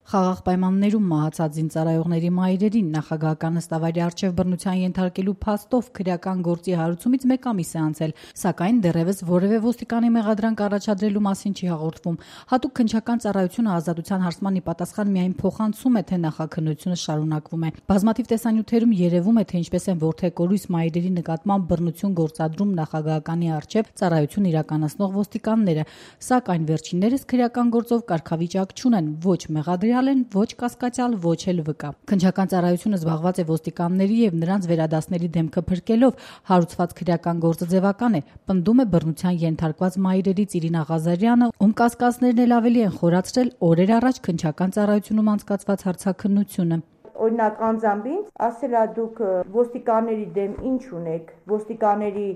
Խաղաղ պայմաններում մահացած զինծառայողների մայրերին նախագահական նստավայրի առջև բռնության ենթարկելու փաստով քրեական գործի հարուցումից 1 ամիս է անցել, սակայն դեռևս որևէ ոստիկանի մեղադրանք առաջադրելու մասին չի հաղորդվում։ Հատուկ քննչական ծառայությունը ազատության հարցման ի պատասխան միայն փոխանցում է, թե նախաքննությունը շարունակվում է։ Բազմաթիվ տեսանյութերում երևում է, թե ինչպես են որդեկորույս մայրերի նկատմամբ բռնություն գործադրում նախագահականի առջև ծառայություն իրականացնող ոստիկանները, սակայն վերջիններս քրեական գործով կարգավիճակ չունեն, ոչ մեղադրյալ են, ոչ կասկածյալ, ոչ էլ վկա։ Քննչական ծառայությունը զբաղված է ոստիկանների եւ նրանց վերադասների դեմքը փրկելով, հարուցված քրեական գործը ձևական է, պնդում է բռնության ենթարկված մայրերից Իրինա Ղազարյանը, ում կասկածներն էլ ավելի են խորացրել օրեր առաջ քննչական ծառայությունում անցկացված հարցաքննությունը։ Օրինակ անձամբ ինձ ասել է դուք ոստիկանների դեմ ինչ ունեք, ոստիկանների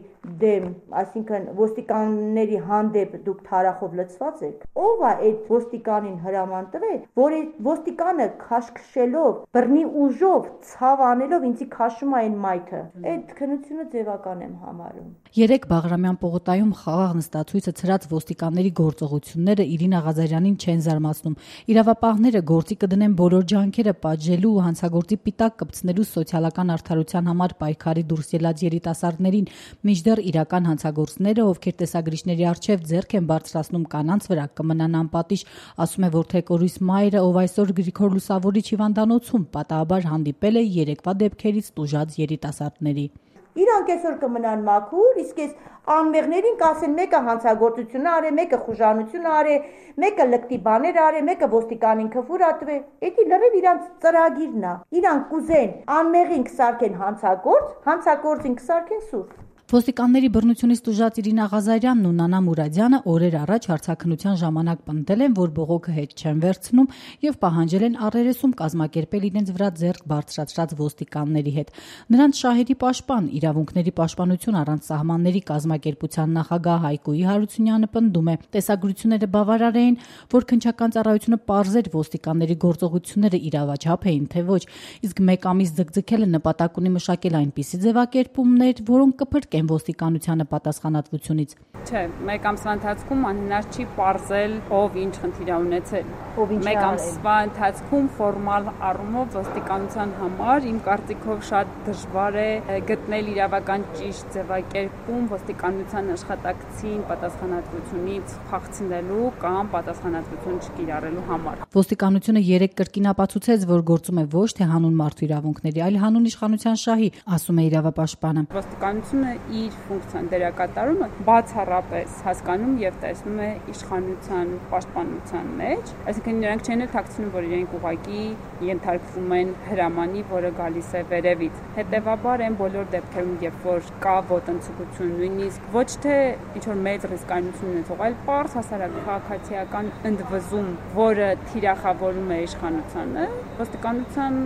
դեմ, այսինքն ոստիկանների հանդեպ դուք թարախով լցված եք։ Ո՞վ է այդ ոստիկանին հրաման տվել, որ այդ ոստիկանը քաշքշելով, բռնի ուժով, ցավ անելով ինձի քաշում է այն մայթը։ Այդ քննությունը ձևական եմ համարում։ 3 Բաղրամյան պողոտայում խաղաղ նստացույցը ցրած ոստիկանների գործողությունները Իրինա Ղազարյանին չեն զարմացնում։ Իրավապահները գործի կդնեն բոլոր ջանքերը պատժելու ու հանցագործի պիտակ կպցնելու սոցիալական արդարության համար պայքարի դուրս ելած երիտասարդներին, մինչդեռ իրական հանցագործները, ովքեր տեսագրիչների առջև ձեռք են բարձրացնում կանանց վրա, կմնան անպատիժ, ասում է որդեկորույս մայրը, ով այսօր Գրիգոր Լուսավորիչ հիվանդանոցում պատահաբար հանդիպել է երեկվա դեպքերից տուժած երիտասարդների։ Իրանք այսօր կմնան մաքուր, իսկ այս անմեղներին կասեն մեկը հանցագործություն արե, մեկը խուժանություն արե, մեկը լկտի բաներ արե, մեկը ոստիկանին քֆուր ատվե։ Էդի լրիվ իրանք ծրագիրն է։ Իրանք կուզեն անմեղին կսարքեն հանցագործին կսարքեն սուրբ։ Ոստիկանների բռնությունից տուժած Իրինա Ղազարյանն ու Նանա Մուրադյանը օրեր առաջ հարցաքննության ժամանակ պնդել են, որ բողոքը հետ չեն վերցնում եւ պահանջել են առերեսում կազմակերպել իրենց վրա ձեռք բարձրացրած ոստիկանների հետ։ Նրանց շահերի պաշտպան, իրավունքների պաշտպանություն առանց սահմանների կազմակերպության նախագահ Հայկոյի Հարությունյանը պնդում է, տեսագրությունները բավարար էին, որ քննչական ծառայությունը պարզեր ոստիկանների գործողությունները իրավաչափ էին, թե ոչ, իսկ 1 ամիս ձգձգելը նպատակ ունի մշակել այնպիսի ձևակերպումներ, որոնք կփրկեն ոստիկանությանը պատասխանատվությունից։ Չէ, 1 ամսվա ընթացքում անհնար չի պարզել ով ինչ խնդիր է ունեցել։ 1 ամսվա ընթացքում ֆորմալ առումով ոստիկանության համար իմ կարծիքով շատ դժվար է գտնել իրավական ճիշտ ձևակերպում ոստիկանության աշխատակցին պատասխանատվությունից փախցնելու կամ պատասխանատվություն չկիրառելու համար։ Ոստիկանությունը 3 կրկին ապացուցեց, որ գործում է ոչ թե հանուն մարդու իրավունքների, այլ հանուն իշխանության շահի, ասում է իրավապաշտպանը։ Ոստիկանությունը իր ֆունկցիան դերակատարումը բացառապես հասկանում եւ տեսնում է իշխանության պաշտպանության մեջ, այսինքն նրանք չեն թաքցնում, որ իրենք ուղղակի ենթարկվում են հրամանի, որը գալիս է վերևից։ Հետևաբար այն բոլոր դեպքերում, երբ որ կա ոտնձգություն, նույնիսկ ոչ թե ինչ որ մեծ ռիսկայնություն ունեցող, այլ պարզ հասարակ քաղաքացիական ընդվզում, որը թիրախավորում է իշխանությանը, ոստիկանության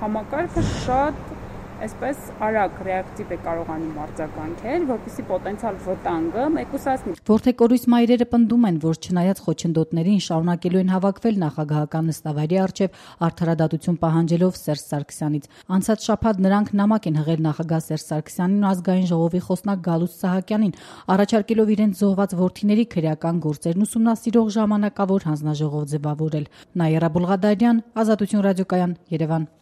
համակարգը շատ այսպես արագ ռեակտիվ է կարողանում արձագանքել, որպեսզի պոտենցիալ վտանգը մեկուսացնի։ Որդեկորույս մայրերը պնդում են, որ չնայած խոչընդոտներին շարունակելու են հավաքվել նախագահական նստավայրի առջև արդարադատություն պահանջելով Սերժ Սարգսյանից։ Անցած շաբաթ նրանք նամակ են հղել նախագահ Սերժ Սարգսյանին ու ազգային ժողովի խոսնակ Գալուստ Սահակյանին, առաջարկելով իրենց զոհված որդիների քրեական գործերն ուսումնասիրող ժամանակավոր հանձնաժողով ձևավորել։ Նաիրա Բուլղադարյան, Ազատություն ռադիոկայան, Երևան։